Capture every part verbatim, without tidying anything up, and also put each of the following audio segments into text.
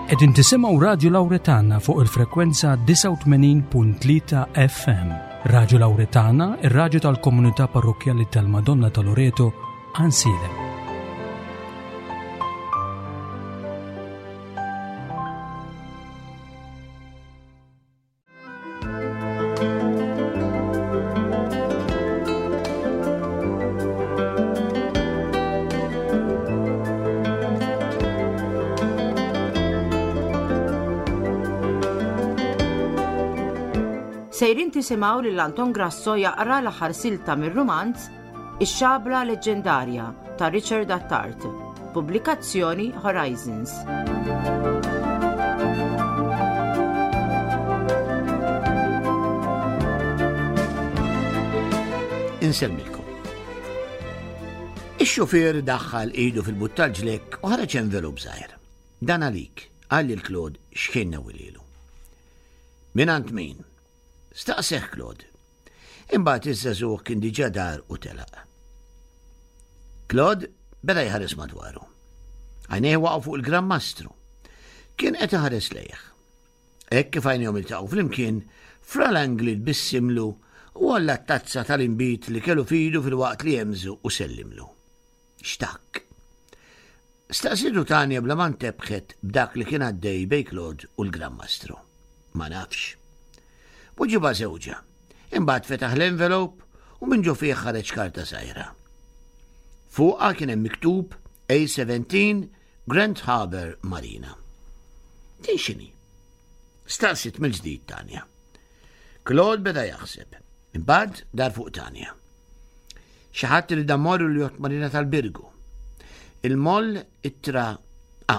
Qegħdin tisimgħu Radju Lawretana fuq il-frekwenza disgħa u tmenin punt tlieta F M. Radju Lawretana, ir-radju tal-Komunità Parrokkjali tal-Madonna ta' Loreto, Għajnsielem. Sejrin tisimgħu lil Anton Grasso jaqra l-aħħar silta mir-rumanz Ix-Xabla Leġġendarja ta' Richard Attard, pubblikazzjoni Horizons. Insellmilkom. Ix-xufier daħħal idu fil-but tal-ġlekk u ħareġ envelop żgħir. "Dan għalik," qal lil Claude x'kien newwililu. "Mingħand min?" staqsieh Claude. Imbagħad iż-żagħżugħ kien diġà dar u telaq. Claude beda jħares madwaru. Għajnejh waqgħu fuq il-Gran Mastru. Kien qed iħares lejh. Hekk kif għajnejhom iltaqgħu flimkien, Fra Langley tbissimlu u għolla t-tazza tal-inbid li kellu f'idu filwaqt li hemżu u sellimlu. "X'tak?" staqsietu Tanja bla ma ntebħet b'dak li kien għaddej bejn Claude u l-Gran Mastru. "Ma nafx," weġibha żewġha. Imbagħad fetaħ l-envelope u minn ġo fih ħareġ karta żgħira. Fuqha kien hemm miktub A seventeen Grand Harbour Marina. "Din x'inhi?" staqsiet mill-ġdid Tanja. Claude beda jaħseb. Imbagħad dar fuq Tanja. "Xi ħadd li immorru l-Yacht Marina tal-Birgu. Il-moll ittra A.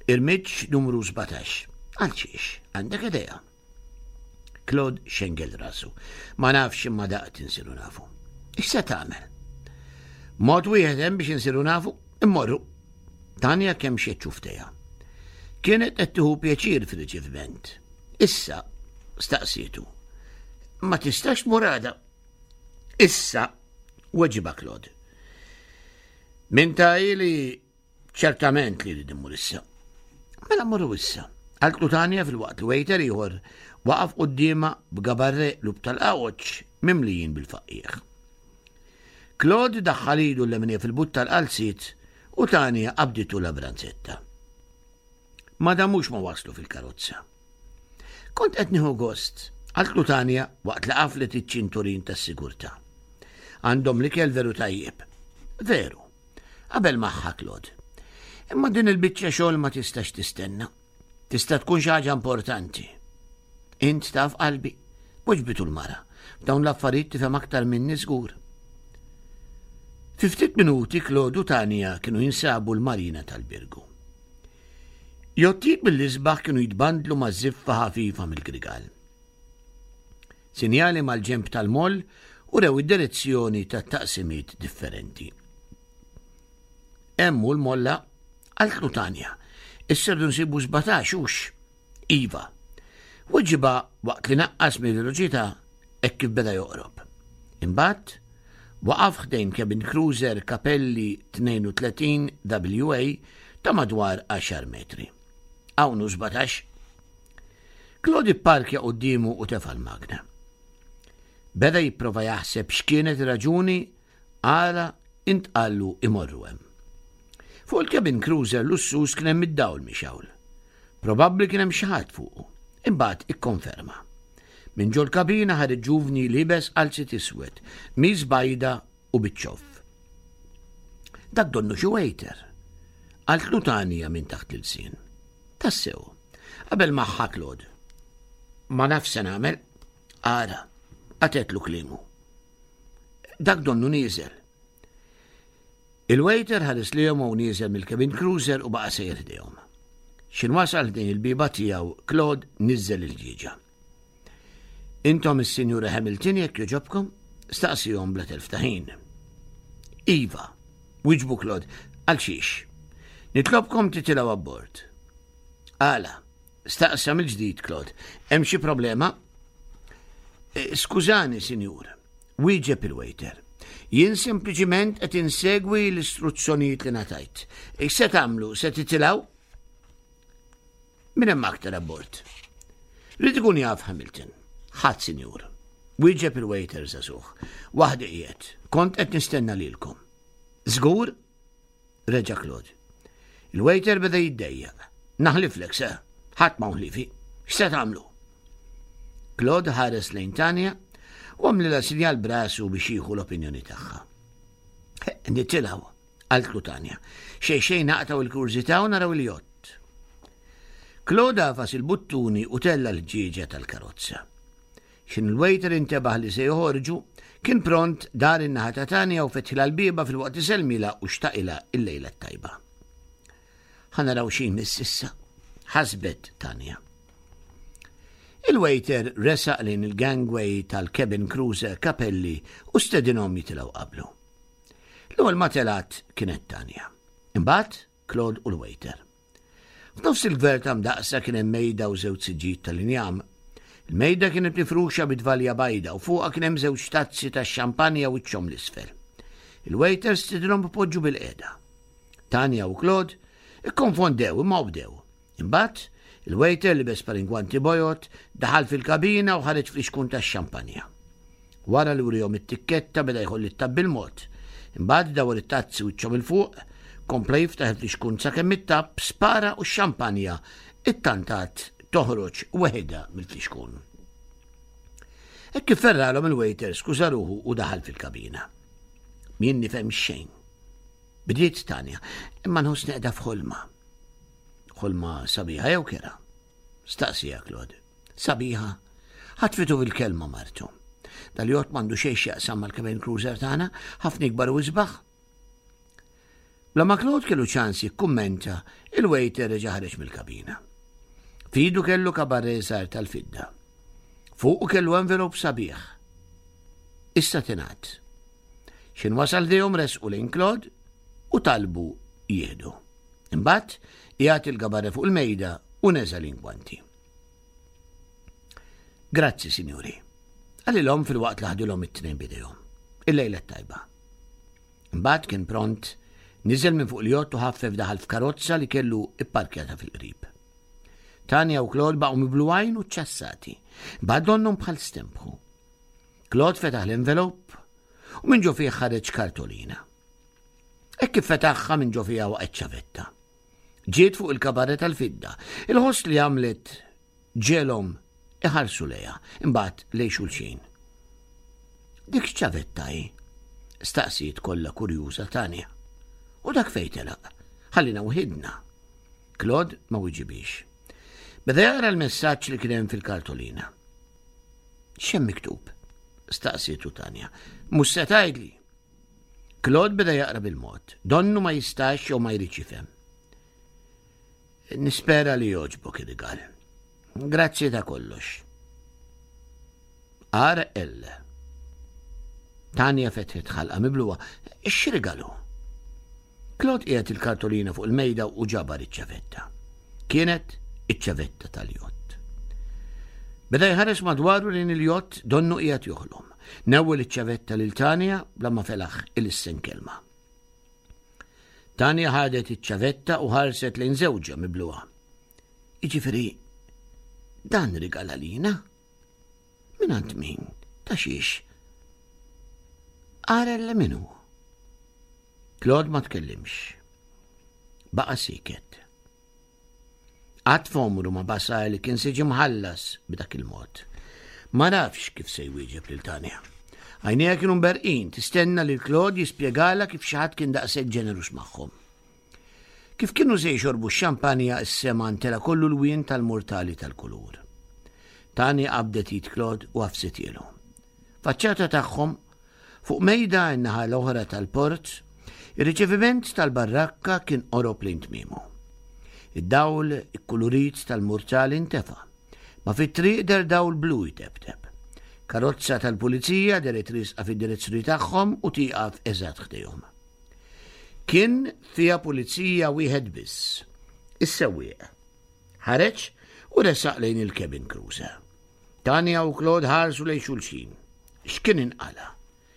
Irmiġġ numru sbatax. Għal xiex, għandek idea?" Claude xengel rasu. "Ma nafx, imma daqt insiru nafu." "X'se tagħmel?" "Mod wieħed hemm biex insiru nafu, immorru." Tanja kemmxet xufftejha. Kienet qed tieħu pjaċir fil-riċeviment. "Issa?" staqsietu. "Ma tistax tmur għada?" "Issa," weġibha Claude. "Min ta li ċertament li rrid immur issa." "Mela mmorru issa," qaltlu Tanja filwaqt li waiter ieħor waqaf quddiemha b'gabarre qlub tal-qawċ mimlijin bil-faqqiegħ. Claude daħħal idu l-leminija fil-but tal-qalziet u Tanja qabditu la branzetta. Ma damux ma waslu fil-karozza. "Kont qed nieħu gost," qaltlu Tanja waqt li qaflet iċ-ċinturin tas-sigurtà. "Għandhom l-ikel veru tajjeb." "Veru," qabel magħha Claude. "Imma din il-biċċa xogħol ma tistax tistenna. Tista' tkun xi ħaġa importanti." "Int taf qalbi," weġbitu l-mara. "F'dawn l-affarijiet tifhem aktar minni żgur." Fi ftit minuti Claude u Tanja kienu jinsabu l-marina tal-Birgu. Jottijiet mill-isbaħ kienu jitbandlu ma' ziffa ħafifa mill-grigal. Sinjali mal-ġemp tal-moll urew id-direzzjoni ta' taqsimiet differenti. "Hemm l-molla," qaltlu Tanja. "Issa rridu nsibu sbatax, hux?" "Iva," weġibha waqt li naqqas mill-veloċità hekk kif beda joqrob. Imbagħad waqaf ħdejn cabin cruiser Capelli tnejn u tletin W A ta' madwar għaxar metri. "Hawn sbatax." Claude parkja quddiemu u tefa l-magna. Beda jipprova jaħseb x'kienet raġuni għala intqallu imorru hemm. Fuq il-cabin cruiser lussuż kien hemm id-dawl mixgħul. Probabbli kien hemm xi ħadd fuqu. Imbagħad ikkonferma. Minn ġol kabina ħareġ ġuvni liebes qalziet iswed, qmis bajda u biċ-ċoff. "Dak donnu xi waiter," qaltlu Tanja minn taħt l-ilsien. "Tassew," qabel magħha Claude. "Ma nafx x'se nagħmel." "Ara," qatgħetlu kliemu. "Dak donnu nieżel." Il-waiter ħares lejhom u nieżel mill-cabin cruiser u baqa' sejjer ħdejhom. X'ħin wasal ħdejn il-bieba tiegħu, Claude niżel il-ġieġa. "Intom is-Sinjura Hamilton, jekk jogħġobkom?" staqsihom bla telf ta' ħin. "Iva," wieġbu Claude, "għal xiex?" "Nitlobkom titilgħu abbord." "Għala?" staqsa mill-ġdid Claude. "Hemm xi problema?" "Eh, skużani, sinjur," wieġeb il-waiter. "Jien sempliċiment qed insegwi l-istruzzjonijiet li ngħatajt. Se tagħmlu, se titilgħu?" Min hemm aktar abbord? Ried ikun jaf Hamilton. Ħadd, sinjur. Wieġeb il-waiter żagħżugħ. Waħdi qiegħed. Kont qed nistenna lilkom. Żgur? Reġa' Claude. Il-waiter beda jiddejjaq. Naħliflek se. Ħadd ma ħliefi. X'se tagħmlu? Claude ħares lejn Tanja u għamlilha sinjal b'rasu biex jieħu l-opinjoni tagħha. Nitilgħu, qaltlu Tanja. Xejn xejn naqtgħu il-kurżità u naraw il-jott. Claude għafas il-buttuni u tella l-ħġieġa tal-karozza. X'ħin il-waiter intebaħ li se joħorġu, kien pront dar in-naħa ta' Tanja u fetħilha l-bieba filwaqt li sellmilha u xtaqilha il-lejla t-tajba. Ħa naraw x'imiss issa, ħasbet Tanja. Il-waiter resaq lejn il-gangway tal-cabin cruiser Capelli u stedinhom jitilgħu qablu. L-ewwel ma telgħet kienet Tanja. Imbagħad Claude u l-waiter. F'nofs il-gverta mdaqsa kien hemm mejda u żewġ siġġijiet tal-injam. Il-mejda kienet mifruxa bit-tvalja bajda u fuqha kien hemm żewġ tazzi ta' xampanja wiċċhom 'l isfel. Il-waiter stedinhom ipoġġu bilqiegħda. Tanja u Claude ikkonfondew imma obdew. Imbagħad il-waiter libes par ingwanti bojod, daħal fil-kabina u ħareġ flixkun tax-xampanja. Wara li wriehom it-tikketta beda jħoll it-tapp bil-mod. Imbagħad dawar it-tazzi wiċċhom 'il fuq, kompla jiftaħ il-flixkun sakemm it-tapp spara u x-xampanja ittantat toħroġ weħidha mill-flixkun. Hekk kif ferralhom il-waiter skuża ruħu u daħal fil-kabina. M'jien nifhem xejn. Bdiet Tanja, imma nħossni qiegħda f'ħolma. Ħolma sabiħa jew kerha? Staqsieha Claude. Sabiħa. Ħatfitu fil-kelma martu. Dal-jott m'għandu xejn x'jaqsam mal-cabin cruiser tagħna, ħafna ikbar u isbaħ. Bla ma Claude kellu ċans jikkummenta, il-waiter reġa' ħareġ mill-kabina. F'idu kellu kabarre żgħar tal-fidda. Fuqu kellu envelop sabiħ. Issa tingħad. X'ħin wasal ħdejhom resqu lejn Claude u talbu jieħdu. Imbagħad qiegħed il-gabarre fuq il-mejda u neża' l-ingwanti. Grazzi, sinjuri. Qalilhom filwaqt li ħadilhom it-tnejn b'idejhom. Il-lejla tajba. Imbagħad kien pront niżel minn fuq il-jott u ħaffef daħal f'karozza li kellu ipparkjata fil-qrib. Tanja u Claude baqgħu miblugħin u ċassati. Bad donnhom bħal stempħu. Claude fetaħ l-envelop u minn ġo fih ħareġ kartolina. Hekk kif fetaħha minn ġo fiha waqgħet ċavetta. Ġiet fuq il-kabarre tal-fidda. Il-ħoss li għamlet ġegħelhom iħarsu lejha, imbagħad lejn xulxin. Dik ċavetta hi? Staqsiet kollha kurjuża Tanja. U dak fejn telaq? Ħallina waħidna. Claude ma wiġibix. Beda jaqra l-messaġġ li kien hemm fil-kartolina. X'hemm miktub? Staqsietu Tanja. Mhux se tgħidli. Claude beda jaqra bil-mod. Donnu ma jistax jew ma jridx jifhem. Nispera li jogħġbok ir-rigal. Grazzi ta' kollox. R L. Tanja fetħet ħalqha miblugħa. X'rigal hu? Claude qiegħed il-kartolina fuq il-mejda u ġabar iċ-ċavetta. Kienet iċ-ċavetta tal-jott. Beda jħares madwaru lejn il-jott donnu qiegħed joħlom. Newwel iċ-ċavetta lil Tanja bla ma felaħ ilissen kelma. Tanja ħadet iċ-ċavetta u ħarset lejn żewġha miblugħa. Jiġifieri, dan rigal għalina? Mingħand min? Ta' xiex? R L min hu? Claude ma tkellimx. Baqa siket. Qatt f'għomru ma basar li kien se jiġi mħallas b'dak il-mod. Ma nafx kif se jwieġeb lil Tanja. Għajnejha kienu mberqin, tistenna li Claude jispjegala kif xi ħadd kien daqshekk ġeneruż magħhom. Kif kienu se jxorbu x-xampanja, s-sema ntela kollu lwien tal-murtali tal-kulur. Tanja qabdet id Claude u għafsithielu. Faċċata tagħhom, fuq mejda n-naħa l-oħra tal-port, ir-riċeviment tal-barrakka kien qorob lejn tmiemu. Id-dawl ikkulurit tal-murtali intefa. Ma fit-triq deher dawl blu jteptep. Karozza tal-pulizija dehret riesqa fid-direzzjoni tagħhom u tieqaf eżatt ħdejhom. Kien fiha pulizija wieħed biss, is-sewwieq. Ħareġ u resaq lejn il-cabin cruiser. Tanja u Claude ħarsu lejn xulxin. X'kien inqala?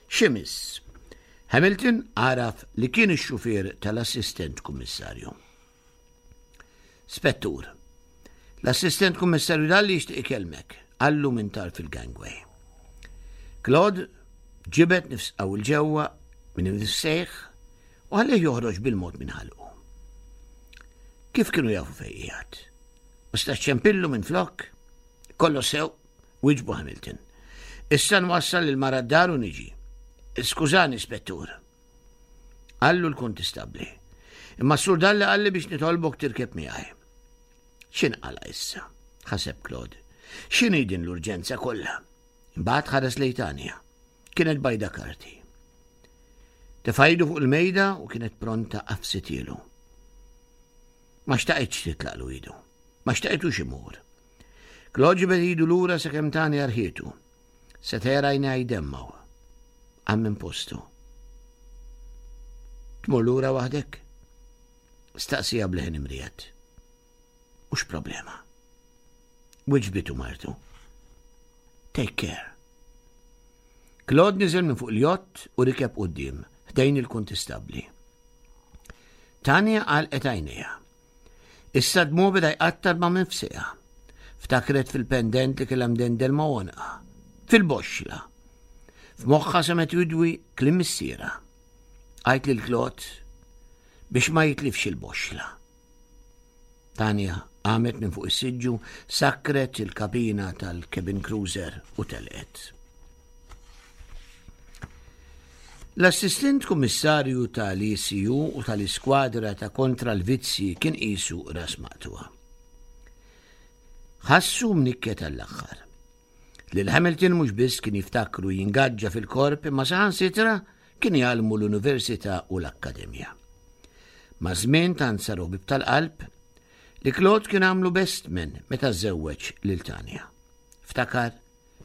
X'imiss? Hamilton għaraf li kien ix-xufier tal-assistent kummissarju. Spettur, L-assistent kummissarju Dalli jixtieq ikellmek, qallu minn tarf il-gangway. Claude ġibed nifs qawwi 'l ġewwa minn imnifsejh u ħallih joħroġ bil-mod minn ħalqu. Kif kienu jafu fejn qiegħed? Ma setax ċempillu minn flok? Kollox sew, wieġbu Hamilton. Issa nwassal il-mara d-dar u niġi. Skużani, spettur. Qallu l-kuntistabbli. Imma s-sur Dalli qalli biex nitolbok tirkeb miegħi. X'inqala issa? Ħaseb Claude. X'inhi din l-urġenza kollha? Imbagħad ħares lejn Tanja. Kienet bajda karti. Tefa' idu fuq il-mejda u kienet pronta għafsithielu. Ma xtaqitx titlaqlu idu. Ma xtaqitux imur. Claude ġibed idu lura sakemm Tanja rħietu. Seta' jara għajnejha jdemmgħu. Qam minn postu. Tmur lura waħdek? Staqsieha b'leħen imriegħed. Mhux problema. Wiġbitu martu. Take care. Claude niżel minn fuq il-jott u rikeb quddiem, ħdejn il-kuntistabbli. Tanja għalqet għajnejha. Issa d-dmugħ beda jqattar ma' mifsejha. Ftakret fil-pendent li kellha mdendel ma' għonqha. Fil-boxxla. F'moħħha semgħet jidwi kliem missierha. Għid lil Claude biex ma jitlifx il-boxxla. Tanja qamet minn fuq is-siġġu, sakkret il-kabina tal-cabin cruiser u telqet. L-assistent kummissarju tal-E C U u tal-iskwadra ta' kontra l-vizzi kien qisu ras maqtugħa. Ħassu mnikket għall-aħħar. Lil Hamilton mhux biss kien jiftakru jingaġġa fil-korp, imma saħansitra kien jgħallmu l-Università u l-Akkademja. Maż-żmien tant saru ħbieb tal-qalb li Claude kien għamlu best man meta żewweġ lil Tanja. Ftakar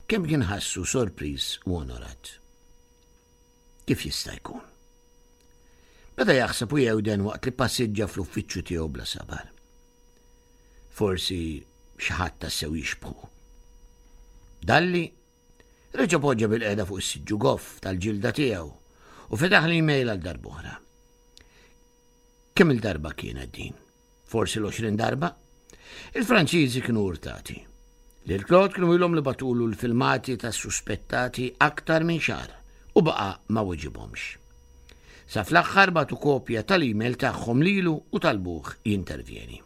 kemm kien ħassu sorpriż u onorat. Kif jista' jkun? Beda jaħseb u jewden waqt li passiġġa fl-uffiċċju tiegħu bla sabar. Forsi xi ħadd tassew jixbħu. Dalli reġa' poġġa bilqiegħda fuq is-siġġu goff tal-ġilda tiegħu u fetaħ l-email għal darb'oħra. Kemm il-darba kienet din? Forsi l-għoxrin darba? Il-Franċiżi kienu urtati. Lil Claude kienu ilhom li bagħtulu l-filmati ta' suspettati aktar minn xahar u baqa' ma weġibhomx. Sa fl-aħħar bagħtu kopja tal-email tagħhom lilu u talbuh jintervjeni.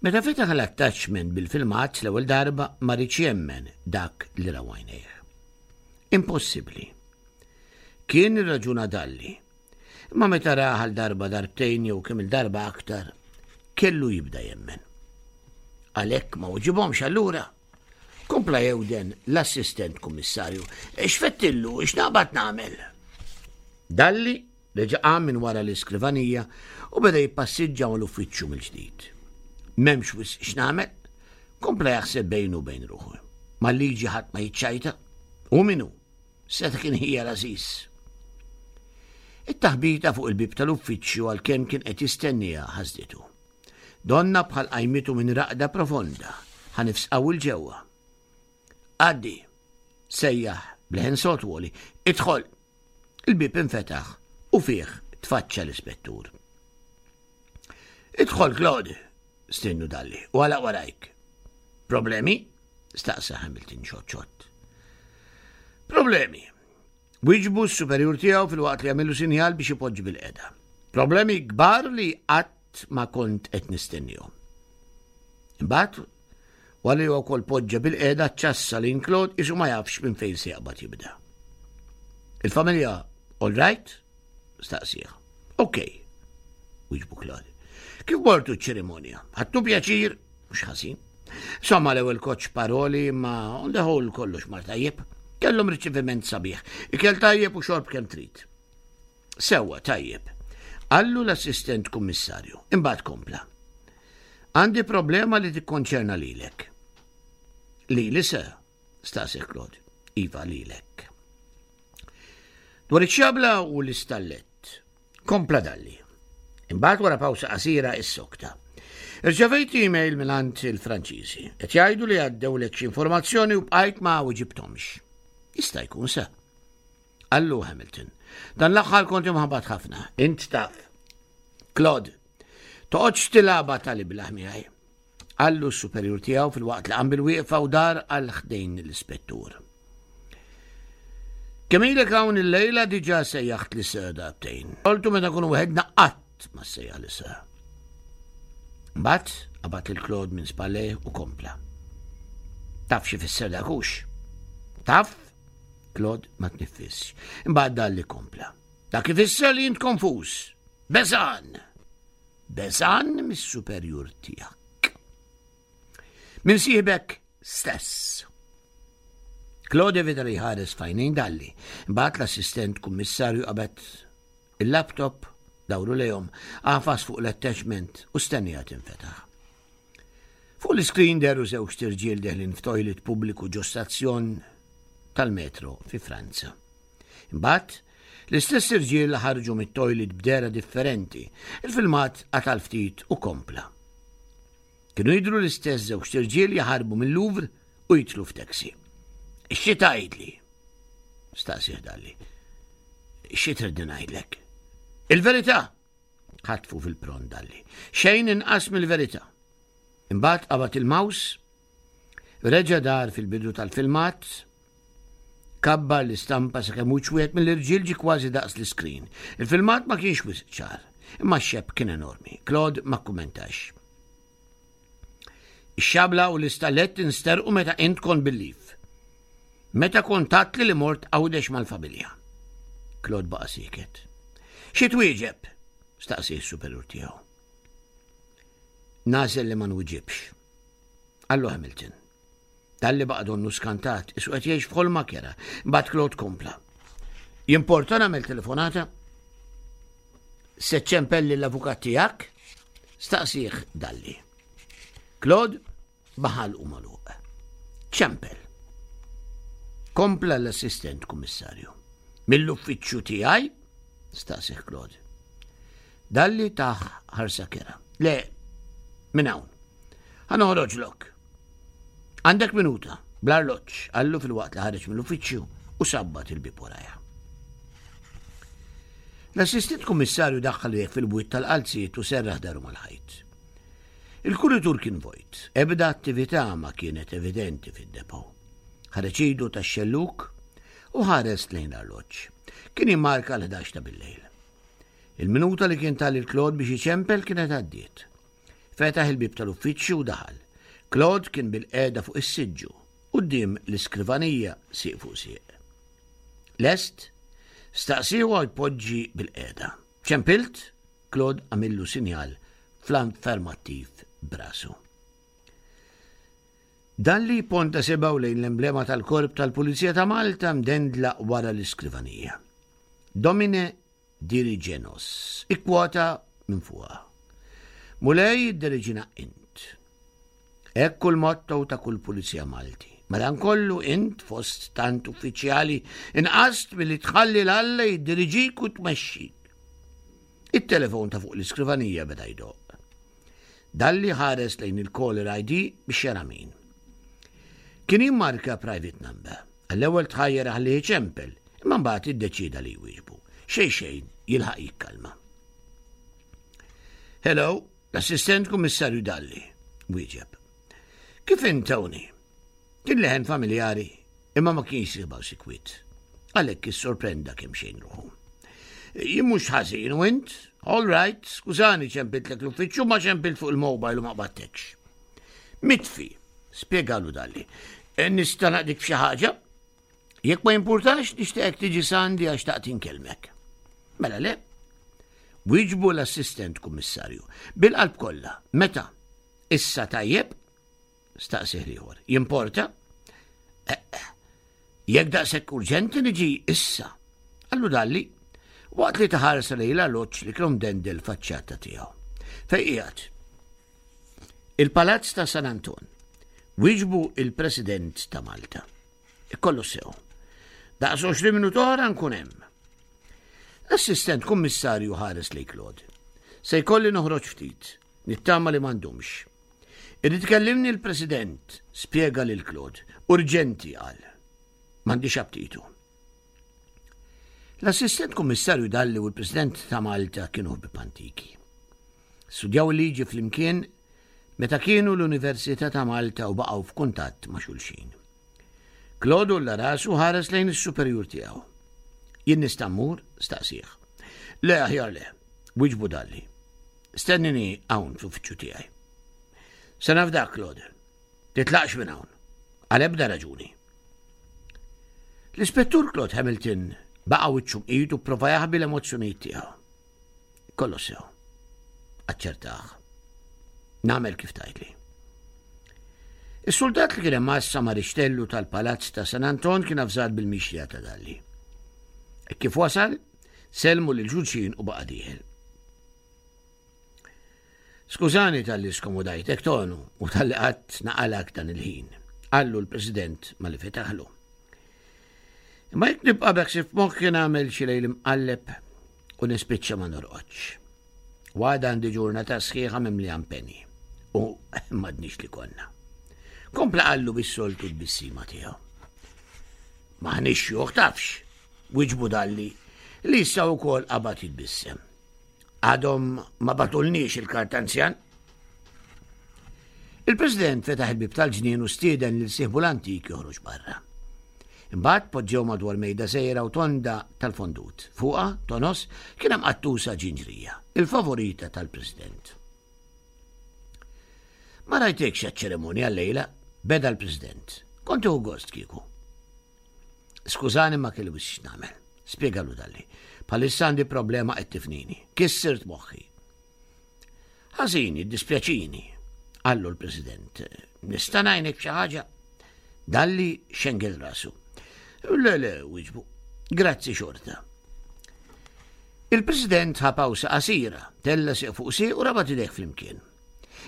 Meta fetaħ l-attachment bil-filmat l-ewwel darba, ma riedx jemmen dak li raw għajnejh. Impossibbli. Kien irraġuna Dalli. Imma meta rah għal darba, darbtejn jew kemm il-darba aktar, kellu jibda jemmen. Għalhekk ma weġibhomx allura. Kompla jewden l-assistent kummissarju. X'fettillu, x'naqbad nagħmel? Dalli reġa' qam minn wara l-iskrivanija u beda jippassiġġa mal-uffiċċju mill-ġdid. M'hemmx wisq x'nagħmel, kompla jaħseb bejnu bejn ruħu. Mal-liġi ħadd ma jiċċajta. U minnu, seta kien ħija l-għażiż. It-taħbita fuq il-bib tal-uffiċċju, għal kemm kien qed jistennija, ħasditu. Donna bħal qajmitu minn raqda profonda, ħa nifs qawwi 'l ġewwa. Għaddi, sejjaħ b'leħen sod u għoli, idħol. Il-bib infetaħ u fih tfaċċa l-ispettur. Idħol, Claude, stiednu Dalli, u għalaq warajk. Problemi? Staqsa Hamilton xott. Problemi. Wieġbu s-superjur tiegħu filwaqt li għamillu sinjal biex ipoġġi bilqiegħda. Problemi kbar li qatt ma kont qed nistennihom. Imbagħad, wara li wkoll poġġa bilqiegħda, ċassa lil Claude qisu ma jafx minn fejn se jaqbad jibda. Il-familja all right? Staqsih. Ok, wieġbu Claude. Kif mortu ċ-ċerimonja? Ħadtu pjaċir? Mhux ħażin. Insomma, l-ewwel koċ paroli, ma on the whole kollox mar tajjeb. Kellhom riċeviment sabiħ. Ikel tajjeb u xorb kemm trid. Sewwa, tajjeb. Qallu l-assistent kummissarju. Imbagħad kompla. Għandi problema li tikkonċerna lilek. Lili, sir? Staqsa Claude. Iva, lilek. Dwar iċ-ċabla u l-istallet. Kompla Dalli. Imbagħad wara pawsa qasira issokta. Irċevejt email mingħand il-Franċiżi. Qed jgħidu li għaddewlek xi informazzjoni u bqajt ma weġibthomx. Jista' jkun, sir. Qallu Hamilton. Dan l-aħħar kont imħabbat ħafna. Int taf. Claude, Toqgħodx tilgħabha tal-iblah miegħi. Qallu s-superjur tiegħu filwaqt li qam bil-wieqfa u dar għal ħdejn l-ispettur. Kemm ilek hawn illejla diġà sejjaħt li sir darbtejn. Soltu meta nkunu waħedna qatt ma ssejjaħ li sir. Mbagħad qabad lil Claude minn spallejh u kompla. Taf xi fisser dak hux? Taf? Claude ma tniffisx. Imbagħad Dalli kompla. Dak ifisser li int konfuż. Beżan. Beżan mis-superjur tiegħek. Minn sieħbek stess. Claude evita li jħares f'għajnejn Dalli. Imbagħad l-assistent kummissarju qabad il-laptop dawru lejhom, għafas fuq l-attachment u stennija tinfetaħ. Fuq l-iskrin dehru żewġt irġiel deħlin f'toilet pubbliku ġo stazzjon tal-metro fi Franza. Imbagħad, l-istess irġiel ħarġu mit-toilet b'dehra differenti. Il-filmat qatal ftit u kompla. Kienu jidhru l-istess żewġt irġiel jaħarbu mill-Louvre u jidħlu f'taxi. Xi tgħidli? Staqsieh Dalli. Xi tridni ngħidlek? Il-verità! Ħatfu fil-pront Dalli. Xejn inqas mill-verità. Imbagħad qabad il-mouse, reġa' dar fil-bidu tal-filmat, kabbar l-istampa sakemm wiċċ wieħed mill-irġiel ġie kważi daqs l-iskrin. Il-filmat ma kienx wisq ċar, imma x-xebh kien enormi. Claude ma kkummentax. Ix-xabla u l-istallett insterqu meta int kont bil-leave. Meta kont għedtli li mort Għawdex mal-familja. Claude baqa' sieket. Xi twieġeb? Staqsi s-superjur tiegħu. Nagħżel li ma nwiġibx. Qallu Hamilton. Dalli baqa' donnu skantat, qisu qed jgħix f'ħolma kerha. Mbagħad Claude kompla. Jimporta nagħmel telefonata? Se ċċempel l-avukat tiegħek? Staqsieh Dalli. Claude baqa' ħalqu magħluq. Ċempel. Kompla l-assistent kummissarju. Mill-uffiċċju tiegħi? Staqsieh Claude. Dalli tah ħarsa kerha. Le, minn hawn. Ħa noħroġlok. Għandek minuta, bl-arloġġ, qallu filwaqt li ħareġ mill-uffiċċju u sabbat il-bieb warajh. L-assistent kummissarju daħħal fil-bwiet tal-qalziet u serraħ dahru mal-ħajt. Il-kuritur kien vojt, ebda attività ma kienet evidenti fid-depot. Ħareġ idu tax-xellug u ħares lejn l-arloġġ. Kien jimmarka l-ħdax ta' bil-lejl. Il-minuta li kien ta lil Claude biex iċempel kienet għaddiet. Fetaħ il-bib tal-uffiċċju u daħal. Claude kien bil-qiegħda fuq is-siġġu, quddiem l-iskrivanija sieq fuq sieq. Lest, staqsieh u jpoġġi bil-qiegħda. Ċempilt? Claude għamillu sinjal fl-affermattiv b'rasu. Dalli ponta sebgħu lejn l-emblema tal-korp tal-Pulizija ta' Malta mdendla wara l-iskrivanija. Domine dirige nos, ikkwota minn fuqha. Mulej idderiġina int. Hekk hu l-motto ta' kull Pulizija Malti. Madankollu int fost tant uffiċjali nqast milli tħalli 'l Alla jiddiriġik u tmexxik. Il-telefon ta' fuq l-iskrivanija beda jdoqq. Dalli ħares lejn il-caller I D biex jara min. Kien jimmarka private number. Għall-ewwel tħajjar ħalli ċempel, imma mbagħad iddeċida li jwieġbu. Xejn xejn jilħaq jikkalma. Hello, l-assistent kummissarju Dalli, wieġeb. Kif int, Tony? Kien leħen familjari, imma ma kienx jisibgħu sikwit. Għalhekk issorprenda kemm xejn ruħu. Jien mhux ħażin u int? All right, skużani ċempiltlek l-uffiċċju ma ċempilt fuq il-mobile u ma qbadtekx. Mitfi, spjegalu Dalli. E, nista' naqdik f'xi ħaġa? Jekk ma jimpurtax, nixtieqek tiġi s'għandi għax xtaqt inkellmek. Mela le. Wieġbu l-assistent kummissarju. Bil-qalb kollha. Meta? Issa tajjeb? Staqsieh l-ieħor. Jimporta? Eh, eh. Jekk daqshekk urġenti niġi issa. Qallu Dalli, waqt li ta ħarsa lejn l-arloġġ li kien mdendel faċċata tiegħu. Fejn qiegħed? Il-Palazz ta' San Anton. Wieġbu il-President ta' Malta. Kollu sew. Daqs għoxrin minuta oħra nkun hemm. L-assistent kummissarju ħares lejn Claude. Se jkolli noħroġ ftit, nittama li ma ndumx. Irid ikellimni l-President, spjega lil Claude. Urġenti qal. M'għandix aptitu. L-assistent kummissarju Dalli u l-President ta' Malta kienu ħbieb antiki. Studjaw il-liġi flimkien meta kienu l-Università ta' Malta u baqgħu f'kuntatt ma' xulxin. Claude għolla rasu ħares lejn is-superjur tiegħu. Jien nista' mmur? Staqsih. Le, aħjar le, wieġbu Dalli. Stennini hawn fl-uffiċċju tiegħi. Se nafdak, Claude. Titlaqx minn hawn. Għal ebda raġuni. L-Ispettur Claude Hamilton baqa' wiċċu mqid u prova jaħbi l-emozzjonijiet tiegħu. Kollox sew. Aċċertah. Nagħmel kif tgħidli. Is-soldat li kien hemm għassa ma' rixtellu tal-Palazz ta' San Anton kien avżat bil-mixja ta' Dalli. E kif wasal, selmu lil xulxin u baqa' dieħel. Skużani talli skomodajtek, Tonu, u talli qgħadt naqalgħek dan il-ħin, qallu l-President malli fetaħlu. Imma jekk nibqa' b'hekk f'moħħi nagħmel xi lejl imqalleb u nispiċċa ma norqodx. Għada għandi ġurnata sħiħa mimlija impenji u m'għadniex li konna. Kompla qallu bis-soltu tbissima tiegħu. M'aħniex xjuħ tafx, wieġbu Dalli li issa wkoll qabad jitbissem. Għadhom ma bagħtulniex il-kartanzjan. Il-President fetaħ il-bib tal-ġnien u stieden lil sieħbu l-antik joħroġ barra. Imbagħad poġġew madwar mejda żgħira u tonda tal-fondut. Fuqha, tonos, kien hemm qattusa ġinġrija, il-favorita tal-President. Ma rajtekx għaċ-ċerimonja llejla, beda l-President. Kont tieħu gost kieku. Skużani, ma kelli wisq nagħmel, spjegalu Dalli. Bħalissa għandi problema qed tifnini. Kissirt moħħi. Ħażin, jiddispjaċini, qallu l-President. Nista' ngħinek xi ħaġa? Dalli xengel rasu. Le, le, wieġbu. Grazzi xorta. Il-President ħa pawsa qasira, tella sieq fuq sieq u rabat idejh flimkien.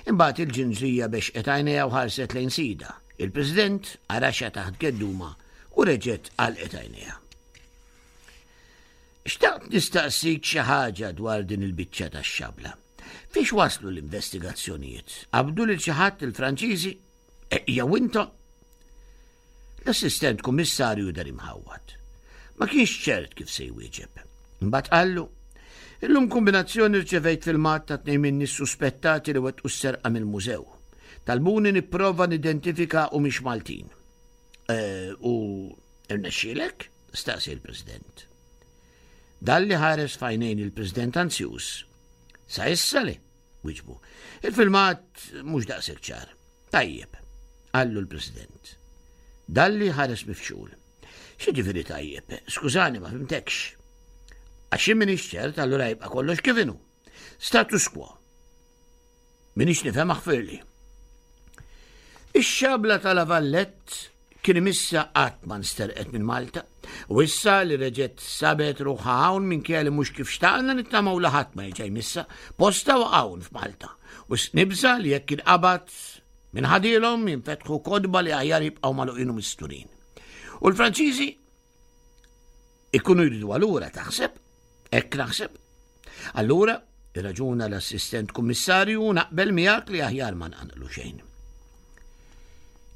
Imbagħad il-ġinġrija bexqet għajnejha u ħarset lejn sida. Il-President għaraxha taħt gedduma u reġgħet għalqet għajnejha. Xtaqt nistaqsik xi ħaġa dwar din il-biċċa tax-xabla. Fiex waslu l-investigazzjonijiet? Qabdu lil xi ħadd il-Franċiżi? E, jew intom? L-assistent kummissarju deher imħawwad. Ma kienx ċert kif se jwieġeb. Imbagħad qallu: Illum kombinazzjoni rċevejt filmat ta' tnejn minni suspettati li wettqu s-serqa mill-mużew. Talbuni nipprova nidentifika humiex Maltin. E, u irnexxielek? Staqsi l-President. Dalli ħares f'għajnejn il-President anzjuż. Sa issa le, wieġbu. Il-filmat mhux daqshekk ċar. Tajjeb, qallu l-President. Dalli ħares mifxul. X'jiġifieri tajjeb? Skużani, ma fhimtekx. Għax m'iniex ċert, allura jibqa' kollox kif inhu. Status quo. M'iniex nifhem, aħfirli. Ix-xabla ta' La Valette kien imissha qatt ma nsterqet minn Malta. U issa li reġgħet sabet ruħha hawn, minkejja li mhux kif xtaqna, nittamaw li ħadd ma jerġa' jmissha, postha hawn f'Malta. U nibża' li jekk inqabad min ħadielhom jinfetħu kotba li aħjar jibqgħu magħluqin u misturin. U l-Franċiżi ikunu jridu allura, taħseb? Hekk naħseb. Allura, irraġuna l-assistent kummissarju, naqbel miegħek li aħjar ma nqanqlu xejn.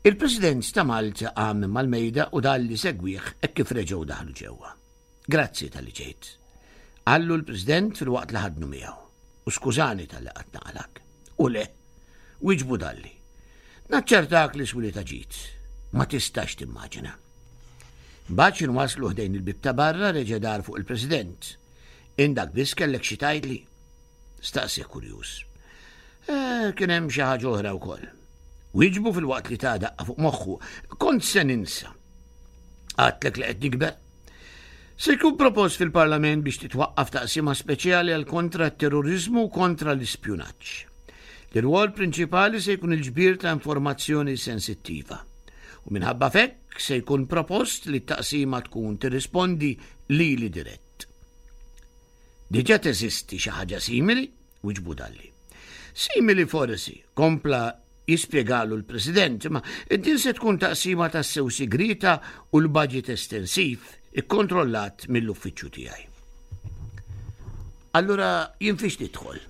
Il-President ta' Malta qam mal-mejda u Dalli segwih hekk kif reġgħu daħlu ġewwa. Grazzi talli ġejt, qallu l-President filwaqt li ħadnu miegħu. U skużani talli qgħadt naqlgħek. U le, wieġbu Dalli. Naċċertak li swieli ta' ġid. Ma tistax timmaġina. Mbagħad waslu ħdejn il-bib ta' barra, reġa' dar fuq il-President. Int dak biss kellek xi tgħidli? Staqsi kurjuż. Eh, kien hemm xi ħaġa oħra wkoll. Wieġbu filwaqt li ta daqqa fuq moħħu. Kont se ninsa. Għedtlek li qed nikber. Se jkun propost fil-Parlament biex titwaqqaf taqsima speċjali għal kontra t-terrorizmu u kontra l-ispjunaġġ. L-rwol prinċipali se jkun il-ġbir ta' informazzjoni sensittiva. U minħabba f'hekk se jkun propost li t-taqsima tkun tirrispondi lili dirett. Diġà teżisti xi ħaġa simili, wieġbu Dalli. Simili forsi, kompla jispjegalu l-President, ma din se tkun taqsima tassew sigrita u l-budget estensiv ikkontrollat mill-uffiċċju tiegħi. Allura jien fiex nidħol?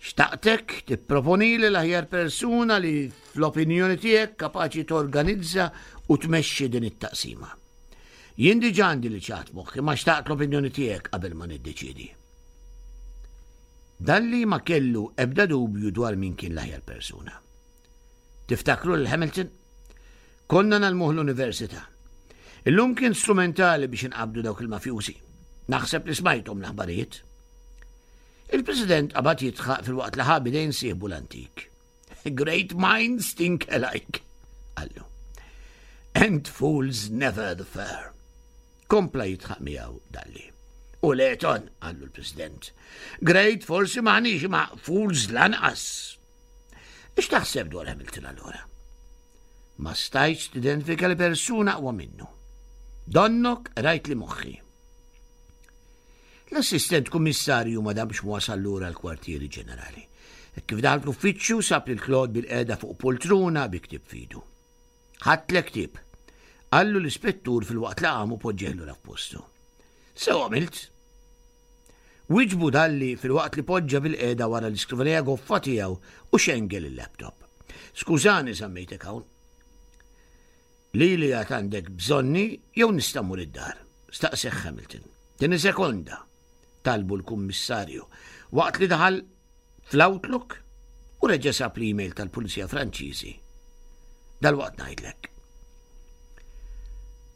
Xtaqtek tipproponi li l-aħjar persuna li fl-opinjoni tiegħek kapaċi torganizza u tmexxi din it-taqsima. Jien diġà għandi lil xi ħadd f'moħħi, ma xtaqt l-opinjoni tiegħek qabel ma niddeċidi. Dalli ma kellu ebda dubju dwar min kien l-aħjar persuna. Tiftakru lil Hamilton? Konna ngħallmuh l-università. Illum kien strumentali biex inqabdu dawk il-mafjużi. Naħseb li smajthom l-aħbarijiet. Il-President qabad jidħaq filwaqt li ħa b'idejn sieħbu l-antik. Great minds think alike, qallu. And fools never the fair. Kompla jidħaq miegħu Dalli. U le Ton, qallu l-President. Great forsi m'aħniex imma fools lanqas. Ix taħseb dwar Hamilton allura? Ma stajtx tidentifika li persuna aqwa minnu. Donnok rajt li moħħi. L-assistent kummissarju ma damx wasal lura l-kwartieri ġenerali. Kif daħal l-uffiċċju sab lil Claude bilqiegħda fuq poltruna bi ktieb f'idu. Ħadtlek ktieb. Qallu l-ispettur filwaqt li qam u poġġieh lura f'postu. Sew għamilt. Wieġbu Dalli filwaqt li poġġa bilqiegħda wara l-iskrivanija goffa tiegħu u xengel il-laptop. Skużani żammejtek hawn. Lili għad għandek bżonni jew nista' mmur id-dar? Staqsieh Hamilton. Tini sekonda, talbu l-kummissarju, waqt li daħal fl-Outlook u reġa' sab l-email tal-Pulizija Franċiżi. Dalwaqt ngħidlek.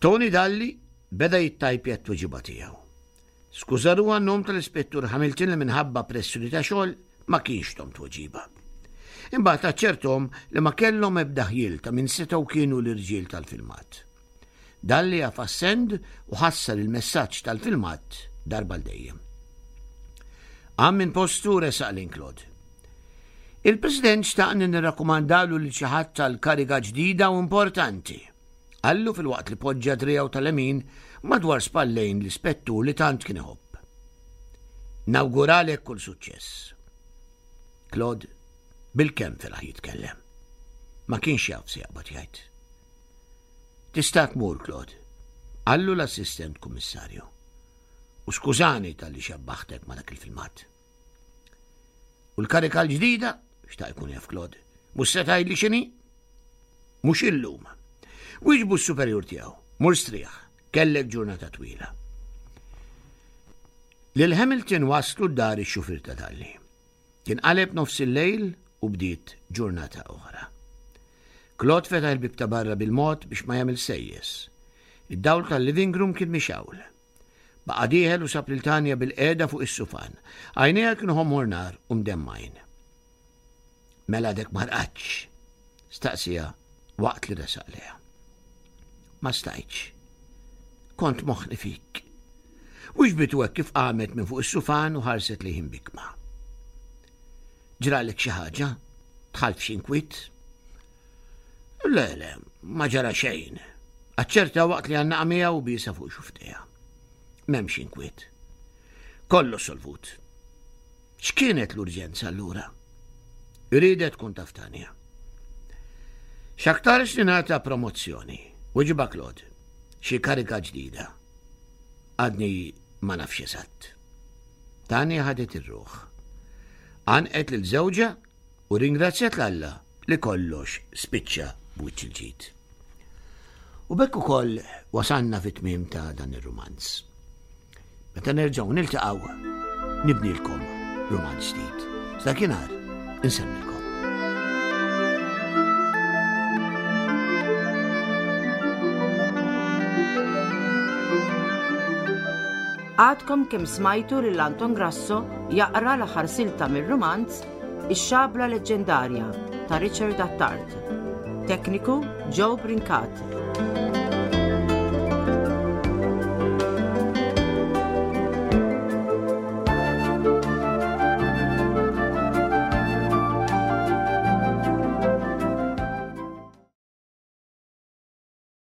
Tony Dalli beda jittajpja t-tweġiba tiegħu. Skuża ruħu għan-nom tal-Ispettur Hamilton li minħabba pressjoni ta' xogħol ma kienx tahom tweġiba. Imbagħad aċċertahom li ma kellhom ebda ħjiel ta' min setgħu kienu l-irġiel tal-filmat. Dalli għafas send u ħassar il-messaġġ tal-filmat darba għal dejjem. Qam minn postu resaq lejn Claude. Il-President xtaqni nirrakkomandalu lil xi ħadd tal-kariga ġdida u importanti. Qallu filwaqt li poġġa driegħu tal-lemin madwar spallejn l-ispettur li tant kien iħobb. Nawguralek kull suċċess. Claude bilkemm felaħ jitkellem. Ma kienx jaf se jaqbad jgħid. Tista' tmur, Claude, qallu l-assistent kummissarju. U skużani talli xebbaħtek ma dak il-filmat. U l-karika l-ġdida, xtaq ikun jaf Claude, mhux se tgħidli x'inhi? Mhux illum. Wieġbu s-superjur tiegħu, mur strieħ, kellek ġurnata twila. Lil Hamilton waslu d-dar ix-xufier ta' Dalli. Kien qaleb nofs il-lejl u bdiet ġurnata oħra. Claude fetaħ il-bieb ta' barra bil-mod biex ma jagħmel sejjes. Id-dawl tal-living room kien mixgħul. Baqa' dieħel u sab lil Tanja bilqiegħda fuq is-sufan. Għajnejha kienu ħomor nar u mdemmgħin. Mela għadek ma rqadtx, staqsiha waqt li resaq lejha. Ma stajtx. Kont moħħni fik. Wieġbitu hekk kif qamet minn fuq is-sufan u ħarset lejh imbikkma. Ġralek xi ħaġa? Dħalt f'xi inkwiet? Le, le, ma ġara xejn. Aċċerta waqt li għannaqa miegħu u biesha fuq xufftejha. M'hemmx inkwiet. Kollox solvut. X'kienet l-urġenza allura? Riedet tkun taf Tanja. X'aktarx li nagħta promozzjoni. Weġibha Claude. Xi karika ġdida. Għadni ma nafx eżatt. Tanja ħadet ir-ruħ. Għannqet lil żewġha u ringrazzjat 'l Alla li kollox spiċċa b'wiċċ il-ġid. U b'hekk ukoll wasanna fit-tmiem ta' dan ir-rumanz. Meta nerġgħu niltaqgħu nibnilkom rumanz ġdid. Sa dakinhar insellmilkom. Għadkom kemm smajtu lil Anton Grasso jaqra l-aħħar silta mir-rumanz Ix-Xabla Leġġendarja ta' Richard Attard. Tekniku Joe Brincat.